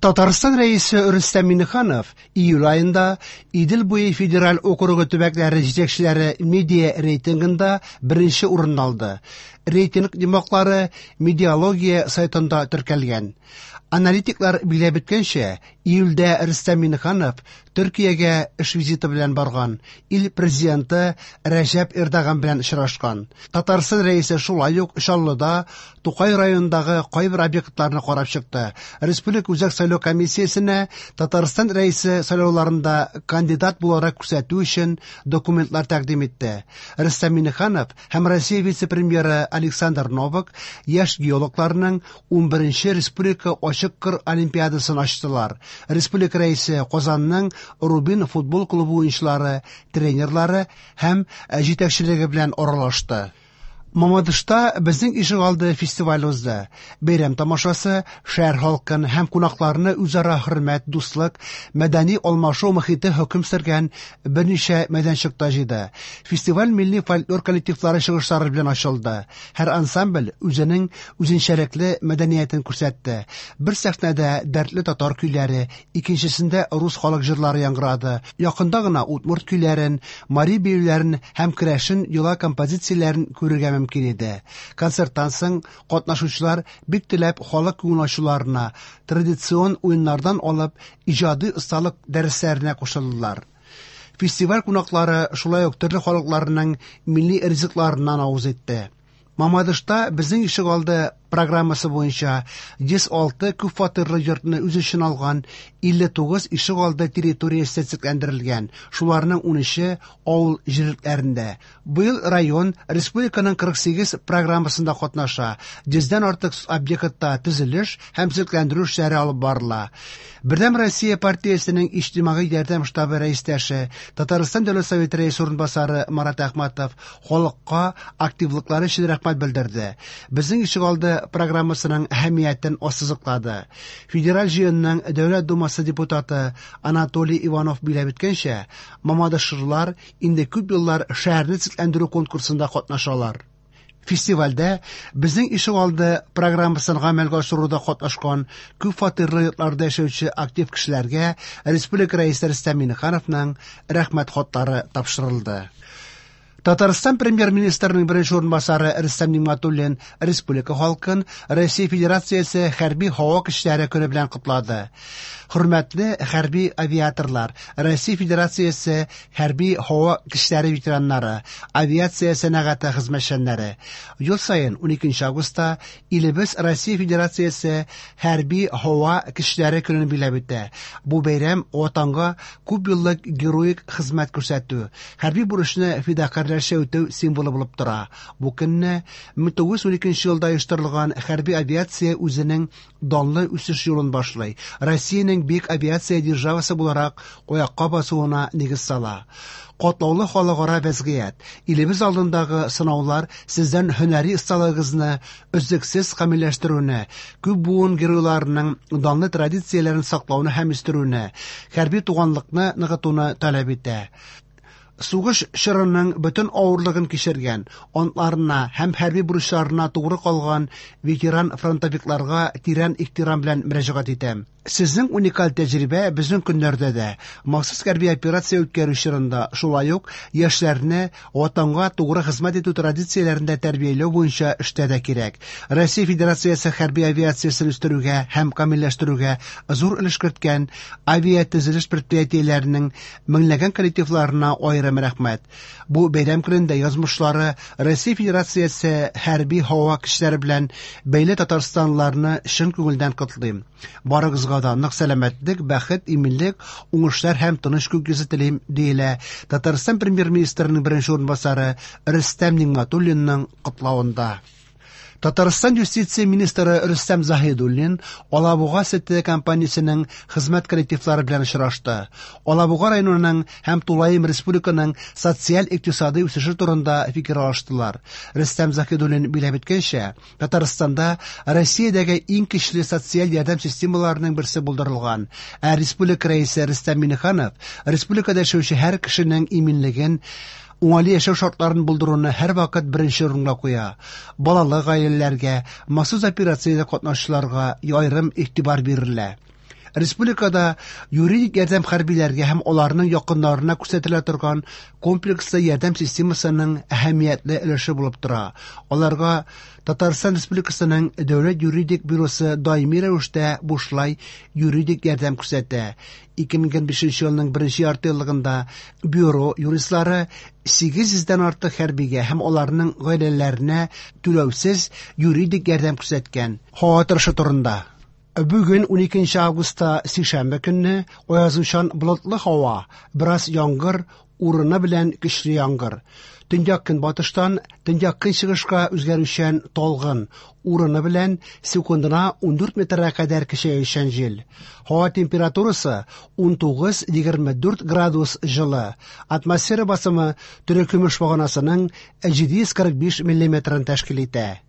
Татарстан Рәисе Рөстәм Миңнеханов июль аенда Идел буе федераль округы төбәкләре җитәкчеләре медиа рейтингында беренче урынны алды. Рейтинг йомгаклары Медиалогия сайтында теркәлгән. Аналитиклар билгеләп үткәнчә, июльдә Рөстәм Миңнеханов Төркиягә эш визиты белән барган, ил президенты Рәҗәп Эрдоган белән очрашкан. Татарстан Рәисе шулай ук Чаллыда Тукай районындагы кайбер объектларны карап чыкты. Республика Үзәк сайлау комиссиясенә Татарстан Рәисе сайлауларында кандидат буларак күрсәтү өчен документлар тәкъдим итте. Рөстәм Миңнеханов һәм Россия вице-премьеры Александр Новак яшь геологларның 11 республика ачык кыр олимпиадасын ачтылар. Республика Рәисе Казанның Рубин футбол клубы уенчылары, тренерлары һәм җитәкчелеге белән аралашты. Мамадышта «Безнең ишегалды» фестивале узды. Бәйрәм тамашасы шәһәр халкын һәм кунакларны үзара хөрмәт, дуслык, мәдәни алмашу мохите хөкем сөргән берничә мәйданчыкта җыйды. Фестиваль милли фольклор коллективлары чыгышлары белән ачылды. Һәр ансамбль үзенең үзенчәлекле мәдәниятен күрсәтте. Бер сәхнәдә дәртле татар көйләре, икенчесендә рус халык җырлары яңгырады. Якында гына удмурт көйләрен, мари биюләрен һәм керәшен йола композицияләрен күрергә мөмкин иде. Концерттан соң катнашучылар бик теләп халык күңел ачуларына, традицион уеннардан алып иҗади осталык дәресләренә кушылдылар. Фестиваль кунаклары шулай ук төрле халыкларның милли ризыкларыннан авыз итте. Мамадышта «Безнең ишегалды» программасы буенча 106 күпфатирлы йортны үз эченә алган 59 ишегалды территориясе төзекләндерелгән, шуларның 13-е авыл җирлекләрендә. Быел район республиканың 48 программасында катнаша, 100дән артык объектта төзелеш һәм төзекләндерү эшләре алып барыла. Бердәм Россия партиясенең иҗтимагый ярдәм штабы рәистәше, Татарстан Дәүләт Советы рәисе урынбасары Марат Әхмәтов халыкка активлыклары өчен рәхмәт белдерде. «Безнең ишегалды» программасының әһәмиятен ассызыклады. Федераль җыенның Дәүләт Думасы депутаты Анатолий Иванов билгеләп үткәнчә, мамадышлылар инде күп еллар шәһәрне төзекләндерү конкурсында катнашалар. Фестивальдә «Безнең ишегалды» программасын гамәлгә ашыруда катнашкан күп фатирлы йортларда яшәүче актив кешеләргә республика Рәисе Рөстәм Миңнехановның рәхмәт хатлары тапшырылды. Татарстан премьер-министрының беренче урынбасары Рөстәм Нигъмәтуллин республика халкын Россия Федерациясе хәрби һава көчләре көне белән котлады. Хөрмәтле хәрби авиаторлар, Россия Федерациясе хәрби һава көчләре ветераннары, авиация сәнәгате хезмәтчәннәре. Ел саен 12 августта илебез Россия Федерациясе хәрби һава көчләре көнен билгеләп үтә. Бу бәйрәм Ватанга күп еллык героик хезмәт күрсәтү, хәрби бурычны фидакарьләрчә үтәү символы булып тора. Бу көнне 1912 елда оештырылган хәрби авиация үзенең данлы үсеш юлын башлый. Россиянең бөек авиация державасы буларак аякка басуына нигез сала. Катлаулы халыкара вәзгыять, илебез алдындагы сынаулар сездән һөнәри осталыгыгызны өзлексез камилләштерүне, күп буын геройларының данлы традицияләрен саклауны һәм үстерүне, хәрби туганлыкны ныгытуны таләп итә. Сугыш чорының бөтен авырлыгын кичергән, антларына һәм хәрби бурычларына тугры калган ветеран-фронтовикларга тирән ихтирам белән мөрәҗәгать итәм. Сезнең уникаль тәҗрибә безнең көннәрдә дә, махсус хәрби операция үткәрү чорында, шулай ук яшьләрне Ватанга тугры хезмәт итү традицияләрендә тәрбияләү буенча эштә дә кирәк. Россия Федерациясе хәрби авиациясен үстерүгә һәм камилләштерүгә зур өлеш керткән авиатөзелеш предприятиеләренең меңләгән коллективларына аерым рәхмәт. Бу бәйрәм көнендә язмышлары Россия Федерациясе хәрби һава көчләре белән бәйле татарстанлыларны чын күңелдән котлыйм. Барыгызга да нык сәламәтлек, бәхет, иминлек, уңышлар һәм тыныч күк йөзе телим, диелә Татарстан премьер-министрының беренче урынбасары Рөстәм Нигъмәтуллинның котлавында. Татарстан юстиция министры Рөстәм Заһидуллин Алабуга сөте компаниясенең хезмәт коллективлары белән очрашты. Алабуга районының һәм тулаем республиканың социаль-икътисадый үсеше турында фикер алыштылар. Рөстәм Заһидуллин билгеләп үткәнчә, Татарстанда Россиядәге иң көчле социаль ярдәм системаларының берсе булдырылган. Ә республика рәисе Рөстәм Миңнеханов республикада яшәүче һәр кешенең иминлеген, уңайлы яшәү шартларын булдыруны һәрвакыт беренче урынга куя. Балалы гаиләләргә, махсус операциядә катнашучыларга аерым игътибар бирелә. Республикада юридик ярдәм хәрбиләргә һәм аларның якыннарына күрсәтелә торган комплекслы ярдәм системасының әһәмиятле өлеше булып тора. Аларга Татарстан Республикасының Дәүләт юридик бюросы даими рәвештә бушлай юридик ярдәм күрсәтә. 2025 елның беренче яртыеллыгында бюро юристлары 800 дән артык хәрбигә һәм аларның гаиләләренә түләүсез юридик ярдәм күрсәткән. Һава торышы турында. Бүген 12 августта сишәмбе көнне аязучан болытлы һава, бераз яңгыр, урыны белән көчле яңгыр. Төньяк көнбатыштан төньяк көнчыгышка үзгәрүчән талгын, урыны белән секундына 14 метрга кадәр көчәючән җил. Һава температурасы 19-24 градус җылы. Атмосфера басымы терекөмеш баганасының 745 миллиметрын тәшкил итә.